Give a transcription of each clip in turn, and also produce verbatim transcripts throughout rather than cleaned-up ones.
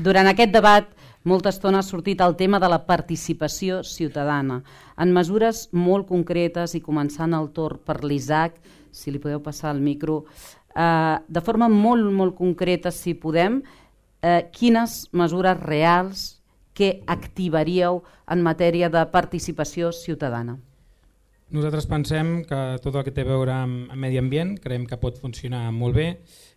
durant aquest debat molta estona ha sortit el tema de la participació ciutadana, en mesures molt concretes i començant el torn per l'Isaac, si li podeu passar el micro, eh, de forma molt, molt concreta, si podem, eh, quines mesures reals que activaríeu en matèria de participació ciutadana? Nosaltres pensem que tot el que té a veure amb medi ambient creiem que pot funcionar molt bé.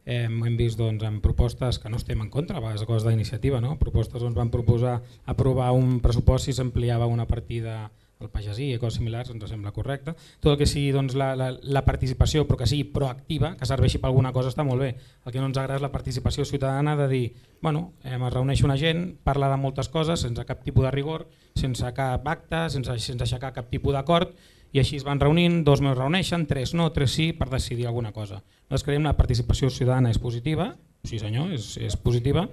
Eh, hem vist doncs, en propostes que no estem en contra, a vegades coses d'iniciativa, no? Propostes on van proposar aprovar un pressupost si s'ampliava una partida al pagesí i coses similars, ens sembla correcte. Tot el que sigui doncs, la, la, la participació, però que sigui proactiva, que serveixi per alguna cosa, està molt bé. El que no ens agrada és la participació ciutadana de dir, bueno, eh, es reuneix una gent, parla de moltes coses sense cap tipus de rigor, sense cap acte, sense, sense aixecar cap tipus d'acord, i així es van reunint, dos meus reuneixen, tres no, tres sí, per decidir alguna cosa. Nosaltres creiem que la participació ciutadana és positiva, sí senyor, és, és positiva,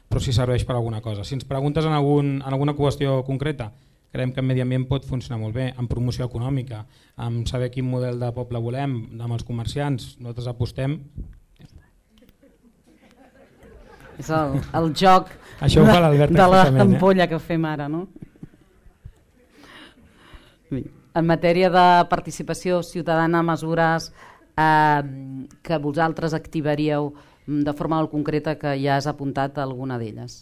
però sí serveix per alguna cosa. Si ens preguntes en, algun, en alguna qüestió concreta, creiem que en medi ambient pot funcionar molt bé, en promoció econòmica, en saber quin model de poble volem, amb els comerciants, nosaltres apostem. És el, el joc Això de, de l'ampolla eh? que fem ara, no? En matèria de participació ciutadana, mesures eh, que vosaltres activaríeu de forma molt concreta, que ja has apuntat alguna d'elles.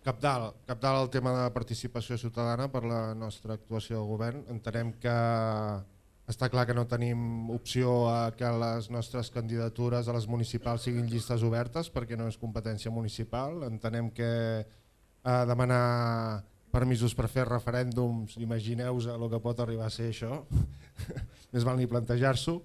Cabdal, cabdal el tema de participació ciutadana per la nostra actuació de govern. Entenem que està clar que no tenim opció a que les nostres candidatures a les municipals siguin llistes obertes perquè no és competència municipal. Entenem que eh, demanar permisos per fer referèndums, imagineu-vos el que pot arribar a ser això, més val ni plantejar-s'ho.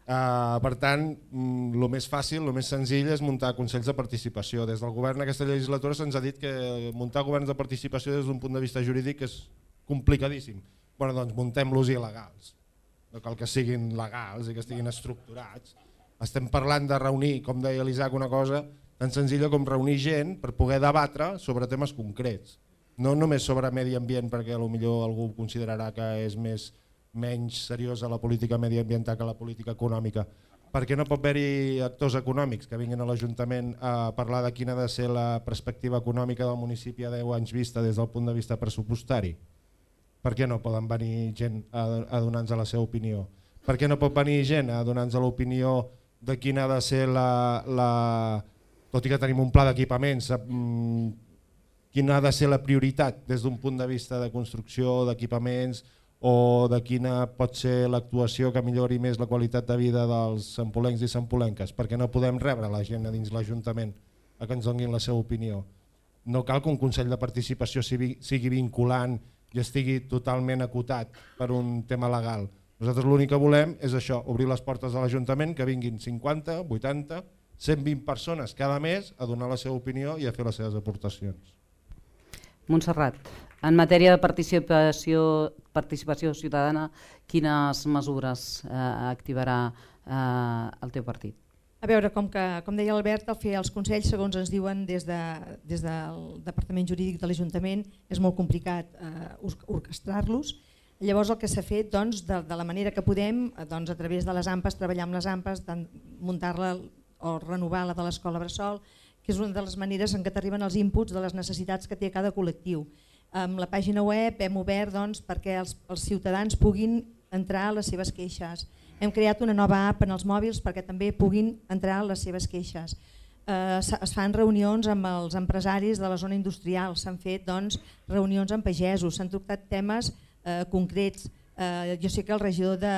Uh, per tant, el més fàcil, el més senzill és muntar consells de participació. Des del govern aquesta legislatura se'ns ha dit que muntar governs de participació des d'un punt de vista jurídic és complicadíssim. Bueno, doncs muntem-los il·legals. No cal que siguin legals i que estiguin estructurats. Estem parlant de reunir, com deia l'Isaac, una cosa tan senzilla com reunir gent per poder debatre sobre temes concrets. No només sobre medi ambient, perquè potser algú considerarà que és més, menys seriosa la política mediambiental que la política econòmica, perquè no pot haver-hi actors econòmics que vinguin a l'Ajuntament a parlar de quina ha de ser la perspectiva econòmica del municipi a deu anys vista des del punt de vista pressupostari. Per què no poden venir gent a donar-nos la seva opinió? Per què no pot venir gent a donar-nos l'opinió de quina ha de ser la, la... tot i que tenim un pla d'equipaments, quina ha de ser la prioritat des d'un punt de vista de construcció d'equipaments o de quina pot ser l'actuació que millori més la qualitat de vida dels sampolencs i sampolenques, perquè no podem rebre la gent a dins l'Ajuntament a que ens donin la seva opinió. No cal que un Consell de Participació sigui vinculant i estigui totalment acotat per un tema legal. Nosaltres l'únic que volem és això, obrir les portes de l'Ajuntament, que vinguin cinquanta, vuitanta, cent vint persones cada mes a donar la seva opinió i a fer les seves aportacions. Montserrat, en matèria de participació, participació ciutadana, quines mesures eh, activarà eh, el teu partit? A veure, com, que, com deia l'Albert, el fer els consells, segons ens diuen des, de, des del Departament Jurídic de l'Ajuntament, és molt complicat eh, orquestrar-los. Llavors el que s'ha fet, doncs, de, de la manera que podem, doncs, a través de les AMPAs, treballar amb les AMPAs, muntar-la o renovar la de l'escola Bressol, que és una de les maneres en què t'arriben els inputs de les necessitats que té cada col·lectiu. Amb la pàgina web hem obert doncs, perquè els, els ciutadans puguin entrar a les seves queixes. Hem creat una nova app en els mòbils perquè també puguin entrar a les seves queixes. Eh, es fan reunions amb els empresaris de la zona industrial, s'han fet doncs, reunions amb pagesos, s'han tractat temes eh, concrets. Eh, jo sé que el regidor de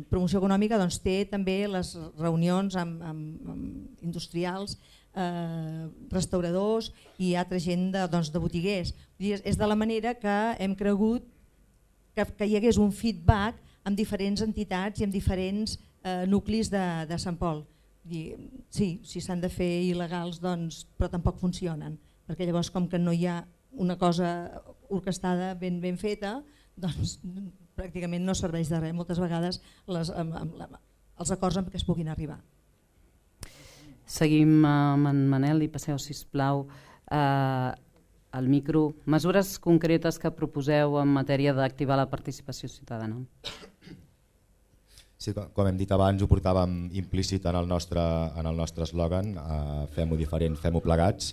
Promoció Econòmica doncs, té també les reunions amb, amb, amb industrials, Eh, restauradors i altra gent de, doncs, de botiguers. És de la manera que hem cregut que, que hi hagués un feedback amb diferents entitats i amb diferents eh, nuclis de, de Sant Pol. I, sí, si s'han de fer il·legals, doncs, però tampoc funcionen, perquè llavors com que no hi ha una cosa orquestada ben, ben feta, doncs pràcticament no serveix de res moltes vegades les, amb, amb, amb, els acords amb què es puguin arribar. Seguim amb en Manel i passeu, sisplau, eh, al micro. Mesures concretes que proposeu en matèria d'activar la participació ciutadana. Sí, com hem dit abans, ho portàvem implícit en el nostre en el nostre eslògan, eh, fem-ho diferent, fem-ho plegats.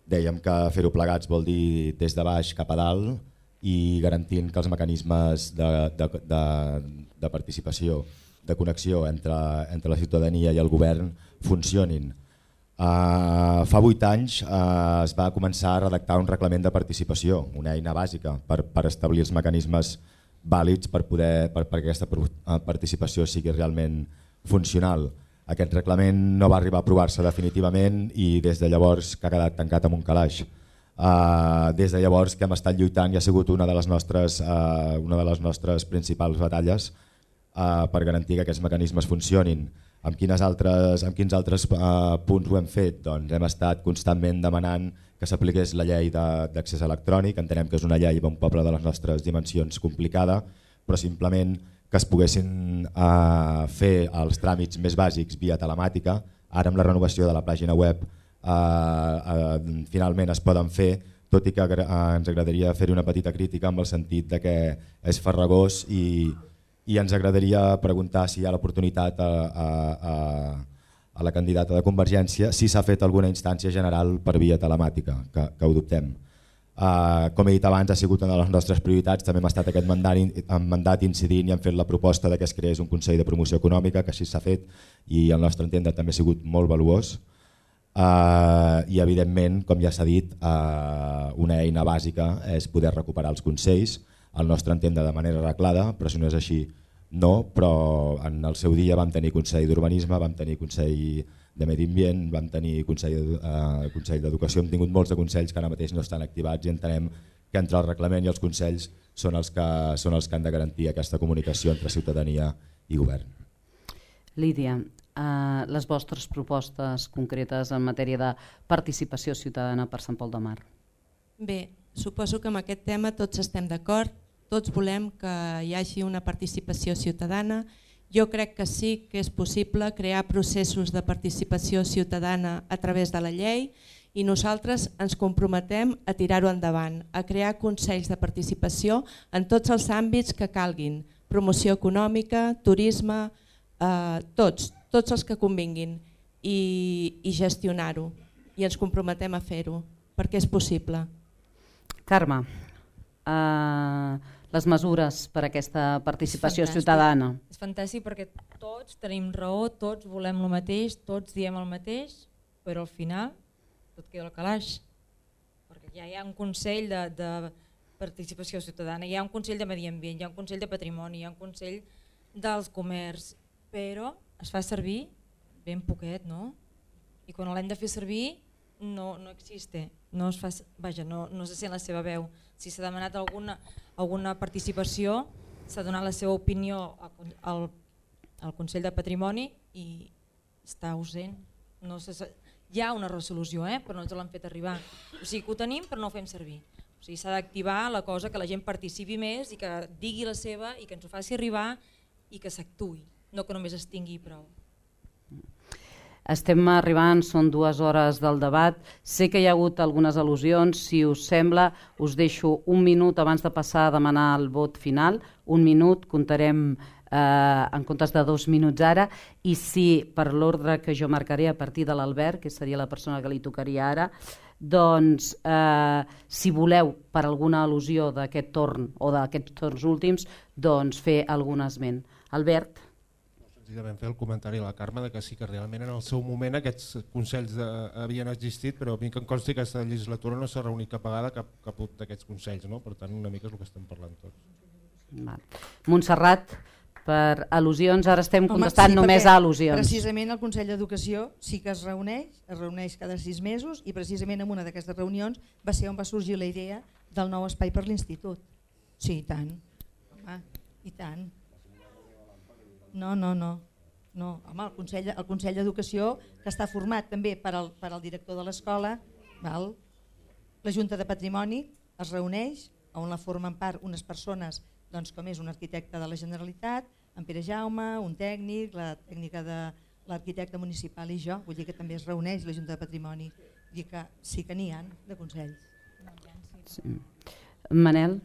dèiem que fer-ho plegats vol dir des de baix cap a dalt i garantint que els mecanismes de, de, de, de participació, de connexió entre, entre la ciutadania i el govern funcionin. Uh, fa vuit anys uh, es va començar a redactar un reglament de participació, una eina bàsica per, per establir els mecanismes vàlids per poder per, perquè aquesta participació sigui realment funcional. Aquest reglament no va arribar a aprovar-se definitivament i des de llavors que ha quedat tancat amb un calaix. Uh, des de llavors que hem estat lluitant i ha sigut una de les nostres, uh, una de les nostres principals batalles uh, per garantir que aquests mecanismes funcionin. Amb, quines altres, amb quins altres uh, punts ho hem fet? Doncs hem estat constantment demanant que s'apliqués la llei d'accés electrònic. Entenem que és una llei d'un poble de les nostres dimensions complicada, però simplement que es poguessin uh, fer els tràmits més bàsics via telemàtica. Ara amb la renovació de la pàgina web uh, uh, finalment es poden fer, tot i que uh, ens agradaria fer una petita crítica amb el sentit de que és farragós i, i ens agradaria preguntar si hi ha l'oportunitat a, a, a, a la candidata de Convergència si s'ha fet alguna instància general per via telemàtica, que, que ho dubtem. Uh, com he dit abans, ha sigut una de les nostres prioritats, també hem estat aquest mandat, mandat incidint i hem fet la proposta de que es creés un Consell de Promoció Econòmica, que així s'ha fet i al nostre entendre també ha sigut molt valuós. Uh, I evidentment, com ja s'ha dit, uh, una eina bàsica és poder recuperar els consells, al nostre entendre de manera arreglada, però si no és així no, però en el seu dia vam tenir Consell d'Urbanisme, vam tenir Consell de Medi Ambient, vam tenir Consell, eh, Consell d'Educació, hem tingut molts de consells que ara mateix no estan activats i entenem que entre el reglament i els consells són els que, són els que han de garantir aquesta comunicació entre ciutadania i govern. Lídia, eh, les vostres propostes concretes en matèria de participació ciutadana per Sant Pol de Mar. Bé, suposo que amb aquest tema tots estem d'acord, tots volem que hi hagi una participació ciutadana. Jo crec que sí que és possible crear processos de participació ciutadana a través de la llei i nosaltres ens comprometem a tirar-ho endavant, a crear consells de participació en tots els àmbits que calguin, promoció econòmica, turisme, eh, tots, tots els que convinguin i, i gestionar-ho i ens comprometem a fer-ho perquè és possible. Carme, eh, les mesures per a aquesta participació ciutadana. És fantàstic perquè tots tenim raó, tots volem el mateix, tots diem el mateix, però al final tot queda al calaix. Perquè ja hi ha un Consell de, de participació ciutadana, hi ha un Consell de Medi Ambient, hi ha un Consell de Patrimoni, hi ha un Consell dels Comerç, però es fa servir ben poquet, no? I quan l'hem de fer servir no, no existe, no es fa, vaja, no, no se sent la seva veu. Si s'ha demanat alguna, alguna participació, s'ha donat la seva opinió al, al Consell de Patrimoni i està ausent. No se, hi ha una resolució, eh, però no ens l'han fet arribar. O sigui que ho tenim però no ho fem servir. O sigui, s'ha d'activar la cosa que la gent participi més i que digui la seva i que ens ho faci arribar i que s'actuï, no que només es tingui prou. Estem arribant, són dues hores del debat. Sé que hi ha hagut algunes al·lusions. Si us sembla, us deixo un minut abans de passar a demanar el vot final. Un minut, comptarem eh, en comptes de dos minuts ara. I si per l'ordre que jo marcaré a partir de l'Albert, que seria la persona que li tocaria ara, doncs eh, si voleu per alguna al·lusió d'aquest torn o d'aquests torns últims, doncs fer algun esment. Albert? Senzillament fer el comentari a la Carme de que sí que realment en el seu moment aquests consells de, havien existit, però a mi que em consti que aquesta legislatura no s'ha reunit cap vegada cap, cap d'aquests consells, no? Per tant una mica és el que estem parlant tots. Va. Montserrat, per al·lusions, ara estem contestant Home, sí, només a al·lusions. Precisament el Consell d'Educació sí que es reuneix, es reuneix cada sis mesos i precisament en una d'aquestes reunions va ser on va sorgir la idea del nou espai per l'institut. Sí, i tant. Home, i tant. No, no, no. no. Home, el Consell, el Consell d'Educació, que està format també per al, per al director de l'escola, la Junta de Patrimoni es reuneix, on la formen part unes persones, doncs, com és un arquitecte de la Generalitat, en Pere Jaume, un tècnic, la tècnica de l'arquitecte municipal i jo, vull dir que també es reuneix la Junta de Patrimoni, vull dir que sí que n'hi ha de consells. Sí. Manel?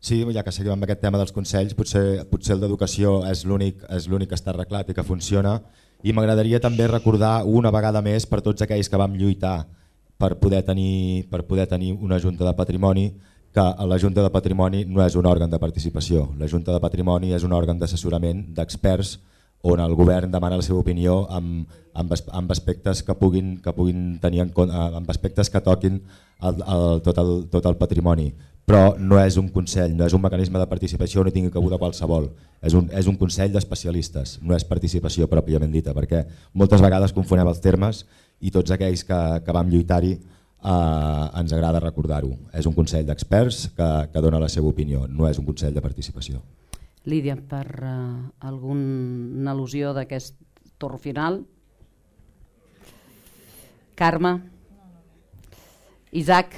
Sí, ja que seguim amb aquest tema dels consells, potser, potser el d'educació és l'únic és l'únic que està arreglat i que funciona, i m'agradaria també recordar una vegada més per tots aquells que vam lluitar per poder tenir, per poder tenir una Junta de Patrimoni, que la Junta de Patrimoni no és un òrgan de participació. La Junta de Patrimoni és un òrgan d'assessorament d'experts on el govern demana la seva opinió amb, amb, amb aspectes que puguin, que puguin tenir en compte, amb aspectes que toquin el, el, tot, el, tot el patrimoni. Però no és un consell, no és un mecanisme de participació on hi tingui cabuda qualsevol. És un, és un consell d'especialistes, no és participació pròpiament dita, perquè moltes vegades confonem els termes i tots aquells que, que vam lluitar-hi eh, ens agrada recordar-ho. És un consell d'experts que, que dona la seva opinió, no és un consell de participació. Lídia, per uh, alguna al·lusió d'aquest torn final? Carme? Isaac?